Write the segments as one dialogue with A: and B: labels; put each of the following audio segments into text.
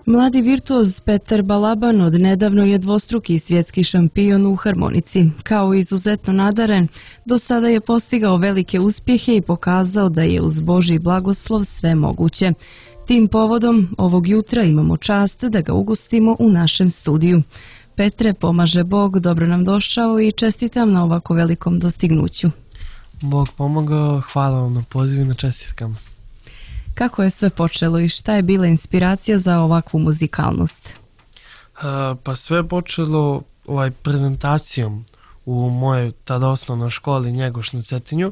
A: Mladi virtuoz Petar Balaban od nedavno je dvostruki svjetski šampion u harmonici. Kao izuzetno nadaren, do sada je postigao velike uspjehe i pokazao da je uz Božji blagoslov sve moguće. Tim povodom ovog jutra imamo čast da ga ugostimo u našem studiju. Petre, pomaže Bog, dobro nam došao i čestitam na ovako velikom dostignuću.
B: Bog pomogao, hvala vam na pozivu i na čestitkama.
A: Kako je sve počelo i šta je bila inspiracija za ovakvu muzikalnost?
B: Pa sve je počelo prezentacijom u mojoj tada osnovnoj školi Njegoš na Cetinju.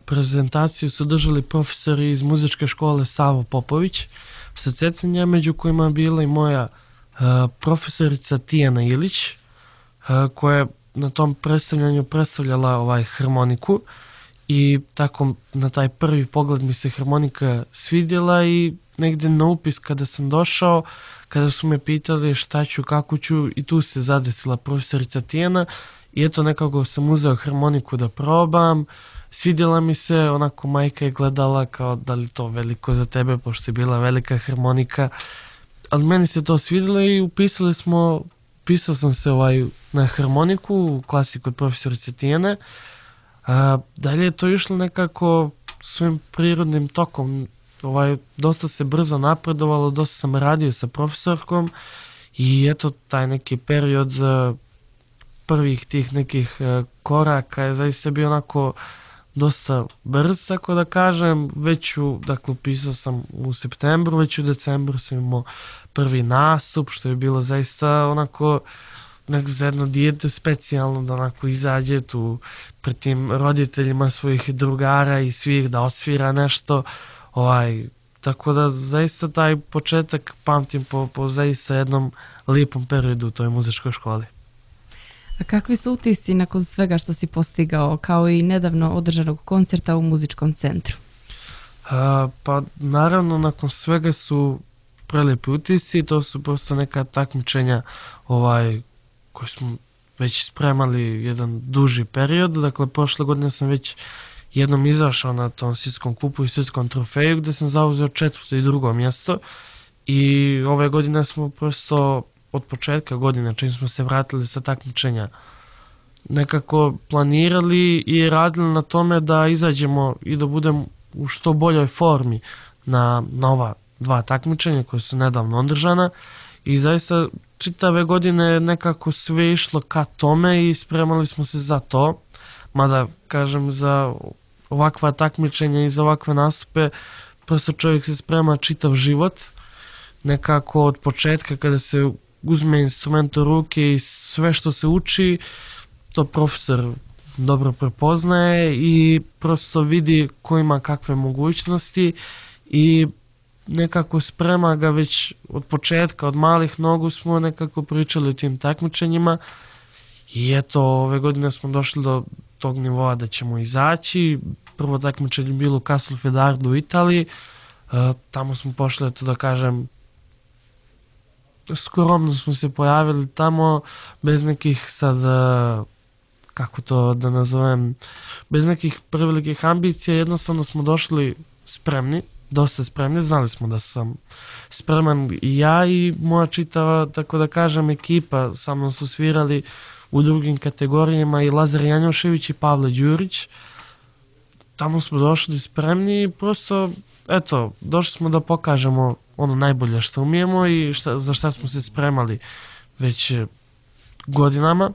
B: Prezentaciju su držali profesori iz muzičke škole Savo Popović sa Cetinja, među kojima je bila i moja profesorica Tijana Ilić, koja je na tom predstavljanju predstavljala harmoniku. I tako na taj prvi pogled mi se harmonika svidjela i negdje na upis kada sam došao, kada su me pitali šta ću, kako ću, i tu se zadesila profesorica Tijana i eto nekako sam uzeo harmoniku da probam. Svidjela mi se, onako majka je gledala kao da li to veliko za tebe, pošto je bila velika harmonika, ali meni se to svidjelo i upisao sam se na harmoniku u klasi kod profesorice Tijane. Dalje je to išlo nekako svojim prirodnim tokom, dosta se brzo napredovalo, dosta sam radio sa profesorkom i eto taj neki period za prvih tih nekih koraka je zaista bio onako dosta brz, tako da kažem. Upisao sam u septembru, već u decembru sam imao prvi nastup, što je bilo zaista onako za jedno dijete specijalno da onako izađe tu pred tim roditeljima svojih drugara i svih da osvira nešto. Tako da zaista taj početak pamtim po zaista jednom lijepom periodu u toj muzičkoj školi.
A: A kakvi su utisci nakon svega što si postigao, kao i nedavno održanog koncerta u muzičkom centru?
B: Pa naravno nakon svega su prelijepi utisci, to su prosto neka takmičenja koji smo već spremali jedan duži period. Dakle, prošle godine sam već jednom izašao na tom svjetskom kupu i svjetskom trofeju gdje sam zauzeo 4. i 2. mjesto i ove godine smo prosto od početka godine, čim smo se vratili sa takmičenja, nekako planirali i radili na tome da izađemo i da budemo u što boljoj formi na ova 2 takmičenja koje su nedavno održana. I zaista čitave godine nekako sve išlo ka tome i spremali smo se za to. Mada, kažem, za ovakva takmičenja i za ovakve nastupe prosto čovjek se sprema čitav život. Nekako od početka kada se uzme instrument u ruke i sve što se uči, to profesor dobro prepoznaje i prosto vidi ko ima kakve mogućnosti i nekako sprema ga već od početka, od malih nogu smo nekako pričali o tim takmičenjima i eto ove godine smo došli do tog nivoa da ćemo izaći. Prvo takmičenje je bilo u Castelfidardu u Italiji, tamo smo pošli, eto da kažem, skromno smo se pojavili tamo, bez nekih sad, kako to da nazovem, bez nekih prevelikih ambicija, jednostavno smo došli spremni, dosta spremni, znali smo da sam spreman i ja i moja čitava, tako da kažem, ekipa. Sa mnom su svirali u drugim kategorijama i Lazar Janjošević i Pavle Đurić. Tamo smo došli spremni i prosto, eto, došli smo da pokažemo ono najbolje što umijemo i za šta smo se spremali već godinama.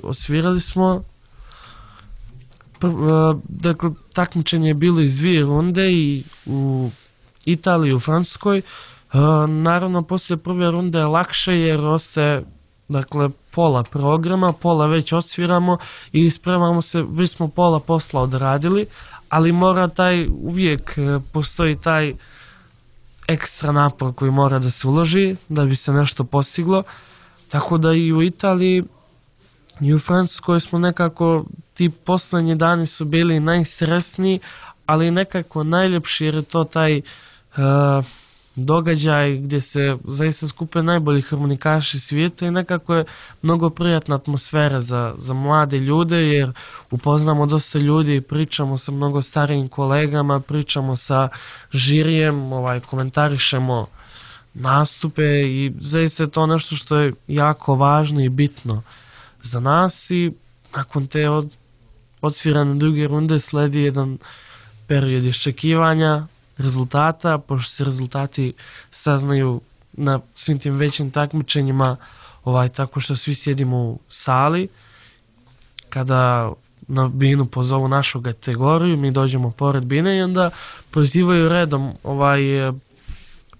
B: Osvirali smo. Dakle, takmičenje je bilo iz 2 runde i u Italiji i u Francuskoj. Naravno, poslije prve runde je lakše jer ostaje pola programa, pola već osviramo i spremamo se, već smo pola posla odradili, ali uvijek postoji taj ekstra napor koji mora da se uloži da bi se nešto postiglo. Tako da i u Italiji i u Francuskoj smo nekako, ti poslednji dani su bili najstresniji, ali nekako najljepši jer je to taj događaj gdje se zaista skupe najbolji harmonikaši svijeta i nekako je mnogo prijatna atmosfera za mlade ljude jer upoznamo dosta ljudi, pričamo sa mnogo starijim kolegama, pričamo sa žirijem, komentarišemo nastupe i zaista je to nešto što je jako važno i bitno za nas i nakon te odsvirane druge runde sledi jedan period iščekivanja rezultata, pošto se rezultati saznaju na svim tim većim takmičenjima tako što svi sjedimo u sali. Kada na binu pozovu našu kategoriju, mi dođemo pored bine i onda prozivaju redom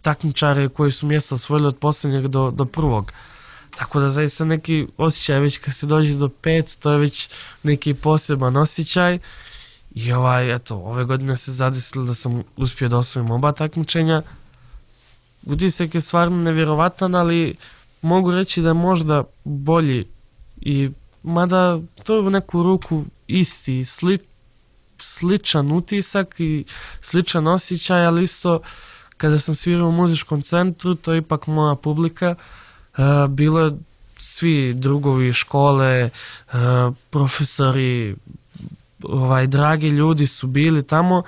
B: takmičare koji su mjesto osvojili od posljednjeg do prvog. Tako da zaista neki osjećaj, već kad se dođe do 5, to je već neki poseban osjećaj. I ove godine se zadesilo da sam uspio da osvojim oba takmičenja. Utisak je stvarno nevjerovatan, ali mogu reći da je možda bolji i mada to je u neku ruku isti, sličan utisak i sličan osjećaj, ali isto kada sam svirao u muzičkom centru, to je ipak moja publika, bilo je svi drugovi škole, profesori, dragi ljudi su bili tamo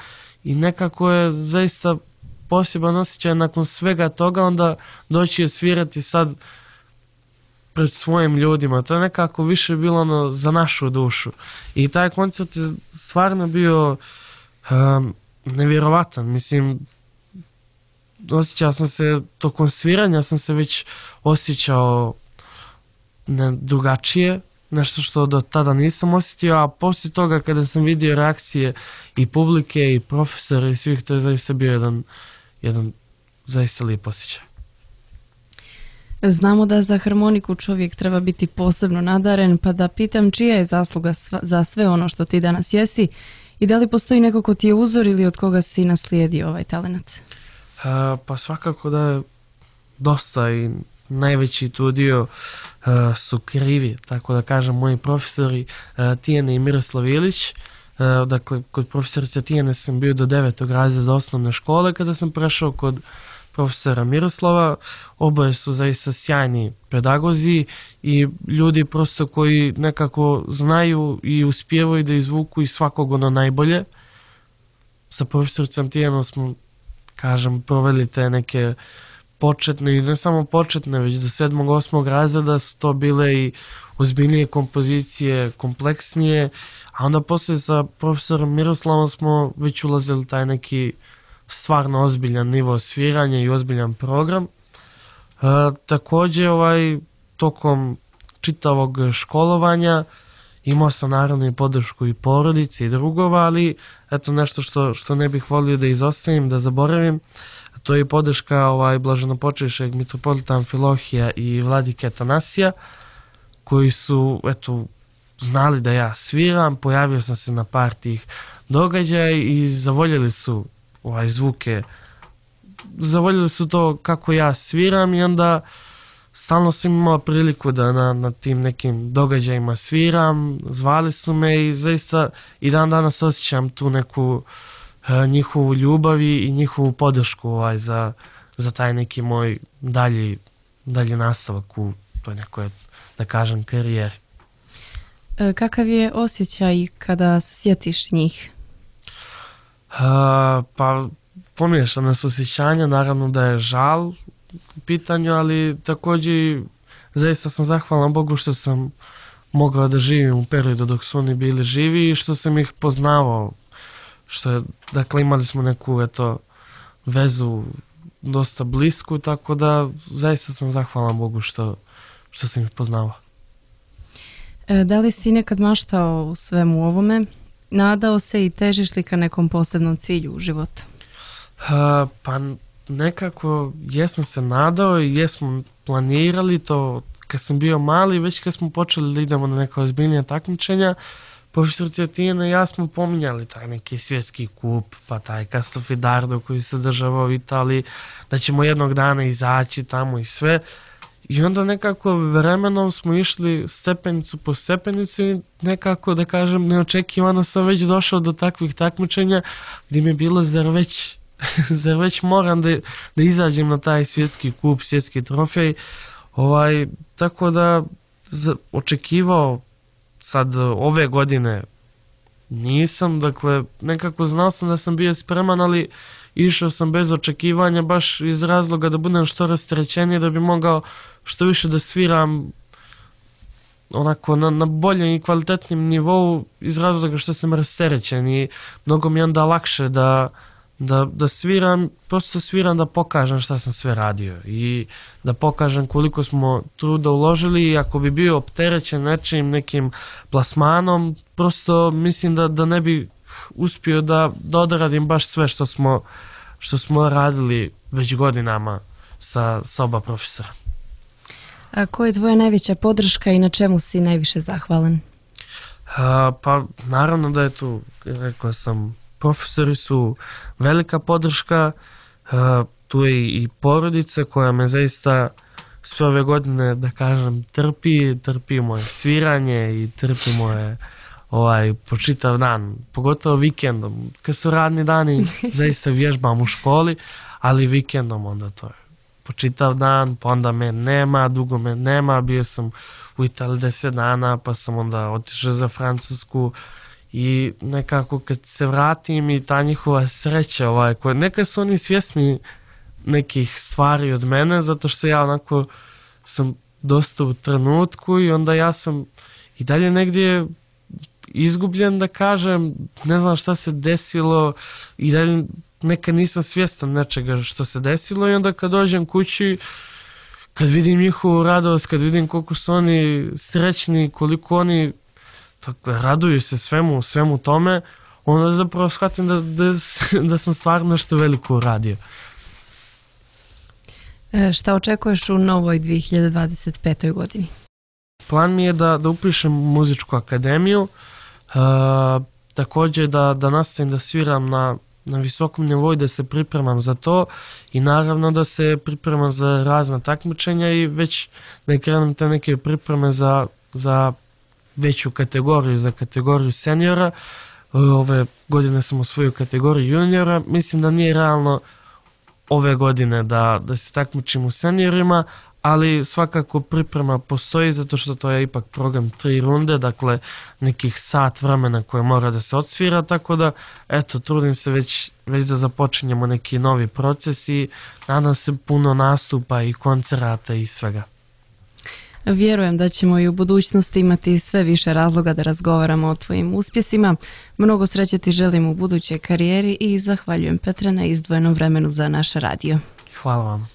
B: i nekako je zaista poseban osjećaj nakon svega toga onda doći je svirati sad pred svojim ljudima. To je nekako više bilo za našu dušu. I taj koncert je stvarno bio nevjerovatan. Mislim, osjećao sam se, tokom sviranja sam se već osjećao drugačije, nešto što do tada nisam osjetio, a poslije toga kada sam vidio reakcije i publike i profesora i svih, to je zaista bio jedan zaista lijep osjećaj.
A: Znamo da za harmoniku čovjek treba biti posebno nadaren, pa da pitam čija je zasluga za sve ono što ti danas jesi i da li postoji neko ko ti je uzor ili od koga si naslijedio ovaj talenat?
B: Pa svakako da je dosta i najveći tu dio su krivi, tako da kažem, moji profesori Tijane i Miroslav Ilić. Dakle, kod profesorice Tijane sam bio do 9. razreda osnovne škole, kada sam prešao kod profesora Miroslava. Oboje su zaista sjajni pedagozi i ljudi prosto koji nekako znaju i uspijevaju da izvuku iz svakog ono najbolje. Sa profesoricom Tijanom smo, kažem, proveli te neke početne i ne samo početne, već do 7. 8. razreda su to bile i ozbiljnije kompozicije, kompleksnije, a onda poslije sa profesorom Miroslavom smo već ulazili taj neki stvarno ozbiljan nivo sviranja i ozbiljan program. Također tokom čitavog školovanja imao sam naravno i podršku i porodice i drugova, ali eto nešto što ne bih volio da izostavim, da zaboravim, to je podrška blaženopočivšeg mitropolita Amfilohija i vladike Atanasija, koji su znali da ja sviram, pojavio sam se na par tih događaja i zavoljeli su zvuke, zavoljeli su to kako ja sviram i onda stalno sam imao priliku da na tim nekim događajima sviram, zvali su me i zaista i dan danas osjećam tu neku njihovu ljubav i njihovu podršku za taj neki moj dalji nastavak u toj nekoj, da kažem, karijeri.
A: Kakav je osjećaj kada sjetiš njih?
B: Pa pomiješana su osjećanja, naravno da je žal u pitanju, ali također zaista sam zahvalan Bogu što sam mogao da živim u periodu dok su oni bili živi i što sam ih poznavao. Dakle, imali smo neku vezu dosta blisku, tako da zaista sam zahvalan Bogu što sam ih poznavao.
A: Da li si nekad maštao u svemu ovome? Nadao se i težiš li ka nekom posebnom cilju u životu?
B: Pa nekako jesam se nadao i jesmo planirali to kad sam bio mali, već kad smo počeli da idemo na neka ozbiljnija takmičenja. Profesorica Tijana i ja smo pominjali taj neki svjetski kup, pa taj Castelfidardo koji se država u Italiji, da ćemo jednog dana izaći tamo i sve. I onda nekako vremenom smo išli stepenicu po stepenicu i nekako, da kažem, neočekivano sam već došao do takvih takmičenja gdje mi je bilo zar već moram da izađem na taj svjetski kup, svjetski trofej. Tako da očekivao sad ove godine nisam, dakle, nekako znao sam da sam bio spreman, ali išao sam bez očekivanja, baš iz razloga da budem što rasterećeniji, da bi mogao što više da sviram onako na boljem i kvalitetnim nivou, iz razloga što sam rasterećen i mnogo mi je onda lakše da sviram, prosto sviram da pokažem šta sam sve radio i da pokažem koliko smo truda uložili, i ako bi bio opterećen nekim plasmanom, prosto mislim da ne bi uspio da odradim baš sve što smo radili već godinama sa oba profesora.
A: A koja je tvoja najveća podrška i na čemu si najviše zahvalan?
B: Pa naravno da je tu, rekao sam, profesori su velika podrška, tu je i porodica koja me zaista sve ove godine, da kažem, trpi moje sviranje i trpi moje po čitav dan, pogotovo vikendom. Kad su radni dani, zaista vježbam u školi, ali vikendom onda to je po čitav dan, pa onda me nema, dugo me nema, bio sam u Italiji 10 dana, pa sam onda otišao za Francusku i nekako kad se vratim i ta njihova sreća, neka su oni svjesni nekih stvari od mene, zato što ja onako sam dosta u trenutku i onda ja sam i dalje negdje izgubljen, da kažem, ne znam šta se desilo i dalje nekad nisam svjestan nečega što se desilo, i onda kad dođem kući, kad vidim njihovu radost, kad vidim koliko su oni srećni, koliko oni raduju se svemu tome, onda zapravo shvatim da sam stvarno nešto veliko uradio.
A: Šta očekuješ u novoj 2025. godini?
B: Plan mi je da upišem muzičku akademiju, također da nastavim da sviram na visokom nivou i da se pripremam za to, i naravno da se pripremam za razna takmičenja i već da krenem te neke pripreme za veću kategoriju, za kategoriju seniora. Ove godine sam osvojio kategoriju juniora, mislim da nije realno ove godine da se takmičim u seniorima, ali svakako priprema postoji, zato što to je ipak program 3 runde, dakle nekih sat vremena koje mora da se odsvira, tako da eto, trudim se već da započinjemo neki novi proces i nadam se puno nastupa i koncerata i svega.
A: Vjerujem da ćemo i u budućnosti imati sve više razloga da razgovaramo o tvojim uspjesima. Mnogo sreće ti želim u budućoj karijeri i zahvaljujem, Petre, na izdvojenom vremenu za naš radio.
B: Hvala vam.